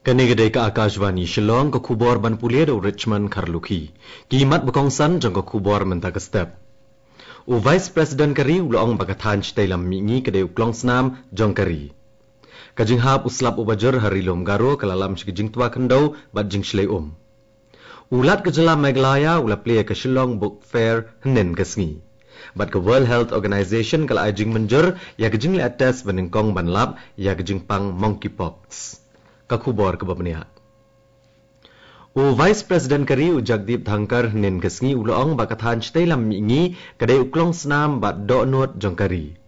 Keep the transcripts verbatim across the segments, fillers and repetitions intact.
Kane ka dei ka Akashvani Shillong, ka khubor ban pule da u Richmond Kharlukhi. Ki mat ba kongsan jong ka khubor mynta ka step. U Vice President ka ri u la ong ba ka thaiñ shatei lam mihngi ka dei u klongsnam jong ka ri. Ka jinghap u slap u bajur ha Ri Lum Garo ka la lam sha ka jingtwa khyndew bad jingshlei um. U Lat ka jylla Meghalaya u la plie ïa ka Shillong Book Fair hynnin ka sngi. Bad ka World Health Organization ka la ai jingmynjur ïa ka jingleh test ba nyngkong ban lap ïa ka jingpang monkeypox. Ka khubor kaba bniah. U Vice President ka ri u Jagdeep Dhankhar hynnin ka sngi u la ong ba ka thaiñ shatei lam mihngi ka dei u klongsnam bad dohnud jong ka ri.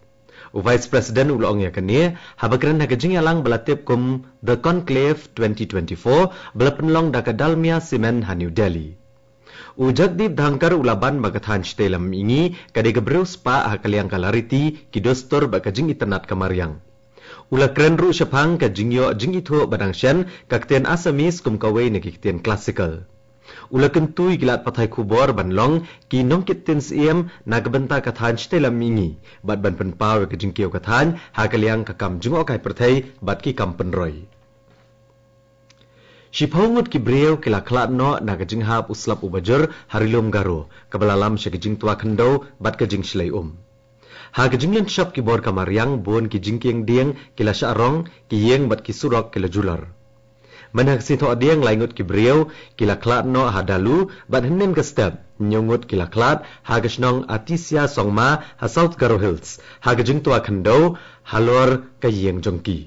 U Vice President u la ong ïa kane haba kren ha ka jingïalang ba la tip kum The Conclave twenty twenty-four ba la pynlong da ka Dalmia Cement ha New Delhi. U Jagdeep Dhankhar u la ban ba ka thaiñ shatei lam mihngi ka dei ka briew spah ha ka liang ka lariti, ki dustur bad ka jingitynnad ka mariang. U la kren ruh shaphang ka jingïoh jingithuh ba dang shen ka ktien Assamese kum kawei na ki ktien classical. U la kyntu ïa ki lad pathai khubor ban long ki nongkit ktien syiem na ka bynta ka thaiñ shatei lam mihngi bad ban pynpaw ïa ka jingkiew ka thaiñ ha ka liang ka kam jngohkai pyrthei bad ki kam pynroi. Shiphew ngut ki briew ki la khlad noh na ka jinghap u slap u bajur ha Ri Lum Garo kaba la lam sha ka jingtwa khyndew bad ka jingshlei um. Ha ka jinglynshop ki bor ka mariang bun ki jingkieng dieng ki la shah rong, ki ïing bad ki surok ki la julor. Mynta ka sngi Thohdieng lai ngut ki briew ki la khlad noh ha Dalu bad hynnin ka step hynñiew ngut ki la khlad ha ka shnong Atisia Songma ha South Garo Hills ha ka jingtwa khyndew halor ka ïing jong ki.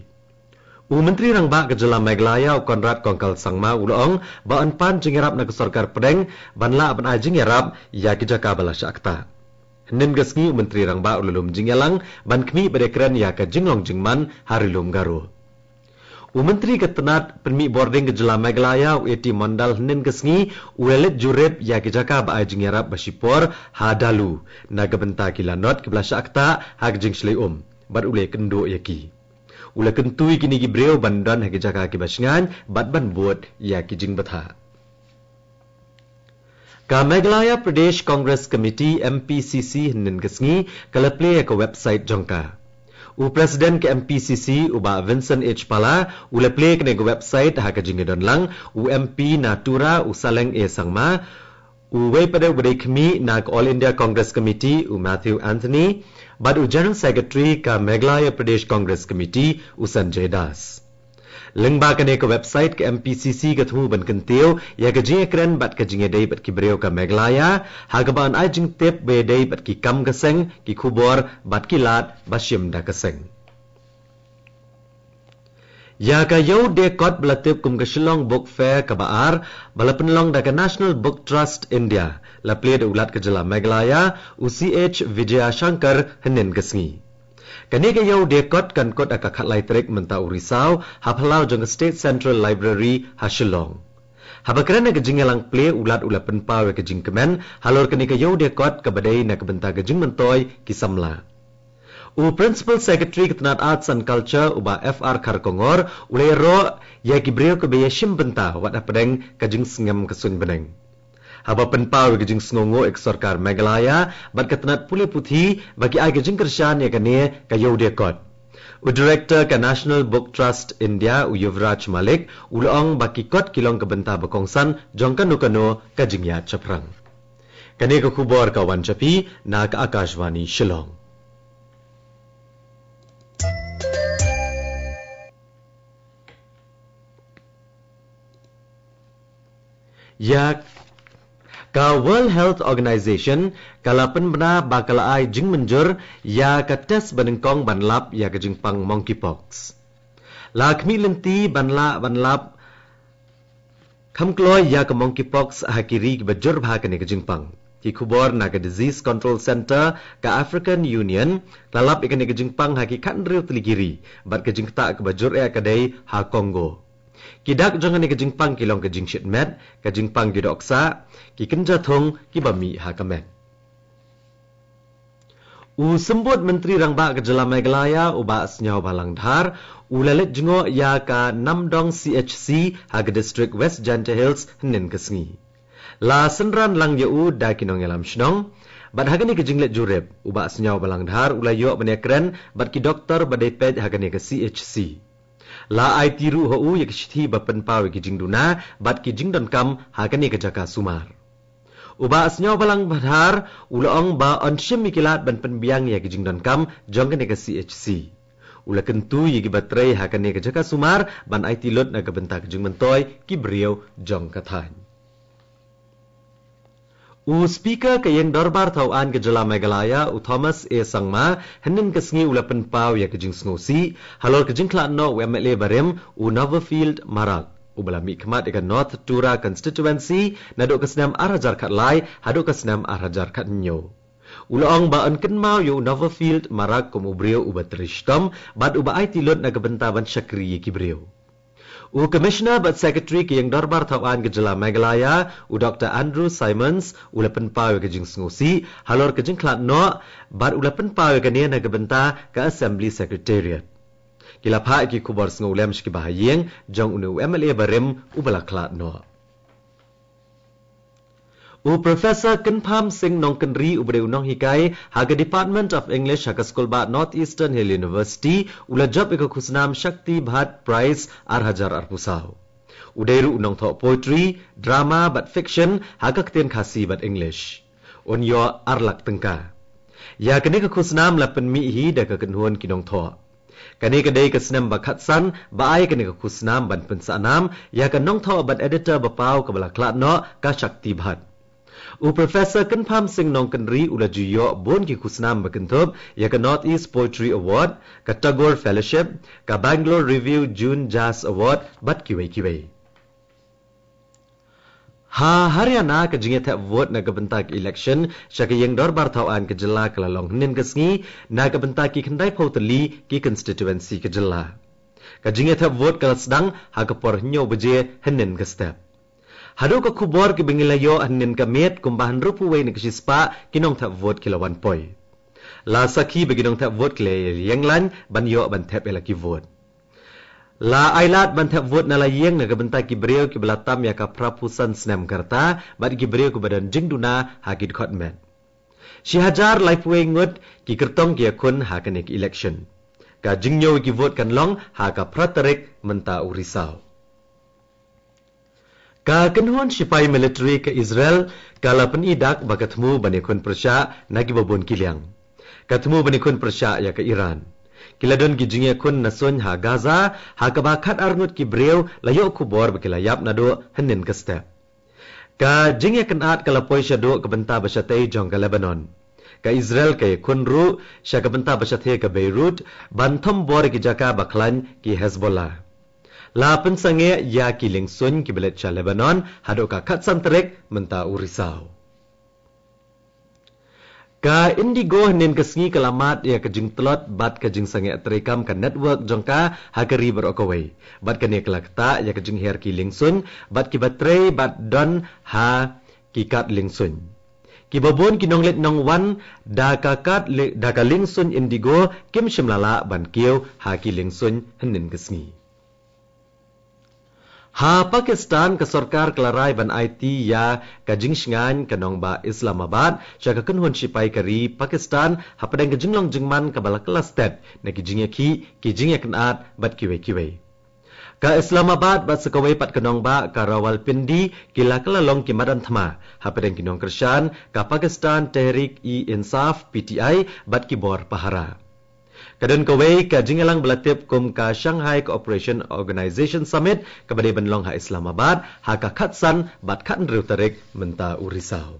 U Myntri Rangbah ka jylla Meghalaya u Conrad Kongkal Sangma u la ong ba yn pan jingïarap na ka sorkar pdeng ban lah ban ai jingïarap ïa ki jaka ba la shah ktah. Hynnin ka sngi u Myntri Rangbah u la lum jingïalang ban khmih bad ïakren ïa ka jinglong jingman ha Ri Lum Garo. U Myntri ka tnat pynmih bording ka jylla Meghalaya u A T Mondal hynnin ka sngi u la leit jurip ïa ki jaka ba ai jingïarap ba shipor ha Dalu na ka bynta ki lanot kiba la shah ktah ha ka jingshlei um bad u la ïakynduh ïa ki. U la kyntu ïa kine ki briew ban don ha ki jaka kiba shngaiñ bad ban bud ïa ki jingbthah. Ka Meghalaya Pradesh Congress Committee, M P C C, hynnin ka sngi ka la plie ïa ka website jong ka. U President ka M P C C u Bah Vincent H Pala u la plie ïa kane ka website ha ka jingïadon lang u M P na Tura u Saleng A Sangma, uwei pat u ba dei khmih na ka All India Congress Committee u Matthew Anthony bad u General Secretary ka Meghalaya Pradesh Congress Committee u Sanjay Das. Lyngba kane ka website ka M P C C ka thmu ban kyntiew ïa ka jingïakren bad ka jingïadei bad ki briew ka Meghalaya ha kaba yn ai jingtip ba ïadei bad ki kam ka seng, ki khubor bad ki lad ba shim da ka seng. Ïa ka Ïew Dei Kot ba la tip kum ka Shillong Book Fair kaba ar ba la pynlong da ka National Book Trust India la plie da u Lat ka jylla Meghalaya u C H Vijayashankar hynnin ka sngi. Kane ka Ïew Dei Kot kan kut ha ka khatlai tarik mynta u Risaw ha phyllaw jong ka State Central Library ha Shillong. Haba kren ha ka jingïalang plie u Lat u la pynpaw ïa ka jingkmen halor kane ka Ïew Dei Kot kaba dei na ka bynta ka jingmyntoi ki samla. U Principal Secretary ka tnat Arts and Culture u Bah F R Kharkongor u la ïaroh ïa ki briew kiba ïashim bynta wat hapdeng ka jingsngem ka suiñ bneng. Haba pynpaw ïa ka jingsngewnguh ïa ka sorkar Meghalaya bad ka tnat pule puthi ba ki ai ka jingkyrshan ïa kane ka Ïew Dei Kot, u Director ka National Book Trust India u Yuvraj Malik u la ong ba ki kot ki long ka bynta ba kongsan jong kano kano ka jingïaid shaphrang. Kane ka khubor ka wan sha phi na ka Akashvani Shillong. Ïa ka World Health Organization ka la pynbna ba ka la ai jingmynjur ïa ka test ba nyngkong ban lap ïa ka jingpang monkeypox. La khmih lynti ban lah ban lap kham kloi ïa ka monkeypox ha ki ri kiba jur bha kane ka jingpang. Ki khubor na ka Disease Control Center ka African Union la lap ïa kane ka jingpang ha ki khathynriew tylli ki ri bad ka jingktah kaba jur eh ka dei ha Congo. Ki dak jong kane ka jingpang ki long ka jingshit met, ka jingpang ki dohksah, ki kynja thung kiba mih ha ka met. U Symbud Myntri Rangbah ka jylla Meghalaya u Bah Sniawbhalang Dhar u la leit jngoh ïa ka Namdong C H C ha ka district West Jaintia Hills hynnin ka sngi. La synran lang ïa u da ki nongïalam shnong bad ha kane ka jingleit jurip u Bah Sniawbhalang Dhar u la ïoh ban ïakren bad ki doktor ba dei peit ha kane ka C H C. La aiti ruh ha u ïa ki shithi ba pynpaw ïa ki jingduna bad ki jingdonkam ha kane ka jaka sumar. U Bah Sniawbhalang Dhar u la ong ba yn shim ïa ki lad ban pynbiang ïa ki jingdonkam jong kane ka C H C. U la kyntu ïa ki ba trei ha kane ka jaka sumar ban aiti lut na ka bynta ka jingmyntoi ki briew jong ka thaiñ. U Speaker ka Ïing Dorbar Thawaiñ ka Jylla Meghalaya, u Thomas A Sangma, hynnin ka sngi u la pynpaw ïa ka jingsngewsih halor ka jingkhlad noh u M L A barim, u Noverfield Marak, uba la mihkhmat ïa ka North Tura Constituency naduh ka snem ar hajar khatlai haduh ka snem ar hajar khathynñiew. U la ong ba yn kynmaw ïa u Noverfield Marak kum u briew uba trei shitom bad uba aiti lut na ka bynta ban shakri ïa ki briew. U Commissioner bad Secretary ka Ïing Dorbar Thawaiñ ka Jylla Meghalaya, u Doctor Andrew Simons, u la pynpaw ïa ka jingsngewsih halor ka jingkhlad noh bad u la pynpaw ïa kane na ka bynta ka Assembly Secretariat. Ki la phah ïa ki khubor sngewlem sha ki bahaïing jong une u M L A barim uba la khlad noh. U Professor Kynpham Singh Nongkynrih, uba dei u nonghikai ha ka Department of English ha ka Skulbah North Eastern Hill University, u la jop ïa ka khusnam Shakti Bhatt Prize ar hajar arphew saw. U dei ruh u nongthoh poetry, drama bad fiction ha ka ktien Khasi bad English. Un ïoh ar lak tyngka. Ïa kane ka khusnam la pynmih hi da ka kynhun ki nongthoh. Kane ka dei ka snem ba khatsan ba ai kane ka khusnam ban pynsahnam ïa ka nongthoh bad editor ba paw kaba la khlad noh, ka Shakti Bhatt. U Professor Kynpham Singh Nongkynrih u la ju ïoh bun ki khusnam ba kynthup ïa ka North East Poetry Award, ka Tagore Fellowship, ka Bangalore Review June Jazz Award bad kiwei kiwei. Ha Haryana, ka jingïathep vote na ka bynta ka election sha ka Ïing Dorbar Thawaiñ ka Jylla ka la long hynnin ka sngi na ka bynta ki khyndaiphew tylli ki constituency ka Jylla. Ka jingïathep vote ka la sdang ha ka por hynñiew baje hynnin ka step. Haduh ka khubor kiba ngi la ïoh hynnin ka miet, kumba hynriewphew wei na ka shispah ki nongthep vote ki la wan poi. La sakhi ba ki nongthep vote ki la ïeng lain ban ïoh ban thep ïa la ki vote. La ai lad ban thep vote na la ïing na ka bynta ki briew kiba la tam ïa ka phraphew san snem ka rta bad ki briew kiba don jingduna ha ki dkhot met. Shi hajar laiphew wei ngut ki kyrtong ki ïakhun ha kane ka election. Ka jingñiew ïa ki vote kan long ha ka phra tarik mynta u Risaw. Ka kynhun shipai military ka Israel ka la pyni dak ba ka thmu ban ïakhun pyrshah na kiba bun ki liang. Ka thmu ban ïakhun pyrshah ïa ka Iran. Ki la don ki jingïakhun na suiñ ha Gaza, ha kaba khatar ngut ki briew la ïoh khubor ba ki la ïap naduh hynnin ka step. Ka jingïakynad ka la poi shaduh ka bynta ba shatei jong ka Lebanon. Ka Israel ka ïakhun ruh sha ka bynta ba shathie ka Beirut ban thombor ïa ki jaka ba khlaiñ ki Hezbollah. La pynsangeh ïa ki liengsuiñ kiba leit sha Lebanon haduh ka khatsan tarik mynta u Risaw. Ka Indigo hynnin ka sngi ka la mad ïa ka jingtlot bad ka jingsangeh treikam ka network jong ka ha ka ri baroh kawei. Bad kane ka la ktah ïa ka jingher ki liengsuiñ bad kiba trei bad don ha ki kad liengsuiñ. Kiba bun ki nongleit nongwan da ka kad li-, da ka liengsuiñ Indigo kim shym la lah ban kiew ha ki liengsuiñ hynnin ka sngi. Ha Pakistan, ka sorkar ka la rai ban aiti ïa ka jingshngaiñ ka nongbah Islamabad sha ka kynhun shipai ka ri Pakistan hapdeng ka jinglong jingman kaba la kylla stet na ki jingïakhih, ki jingïakynad bad kiwei kiwei. Ka Islamabad bad sa kawei pat ka nongbah ka Rawalpindi ki la kylla long ki madan thma hapdeng ki nongkyrshan ka Pakistan Tehreek-e-Insaf, P T I, bad ki bor pahara. Ka don kawei ka jingïalang ba la tip kum ka Shanghai Cooperation Organization Summit kaba dei ban long ha Islamabad ha ka khatsan bad khathynriew tarik mynta u Risaw.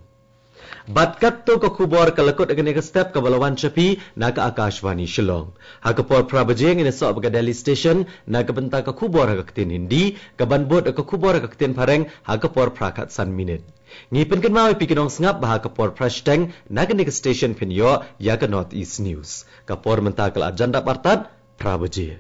Bad katto ka khubor ka la kut ha kane ka step kaba la wan sha phi na ka Akashvani Shillong. Ha ka por phra baje ngin ïasoh bad ka Delhi Station na ka bynta ka khubor ha ka ktien Hindi, kaban bud ka khubor ha ka ktien Phareng ha ka por phra khatsan minit. Ngi pynkynmaw ïa phi ki nongsngap ba ha ka por phra shiteng na kane ka station phin ïoh ïa ka North East News. Ka por mynta ka la jan dap artat phra baje.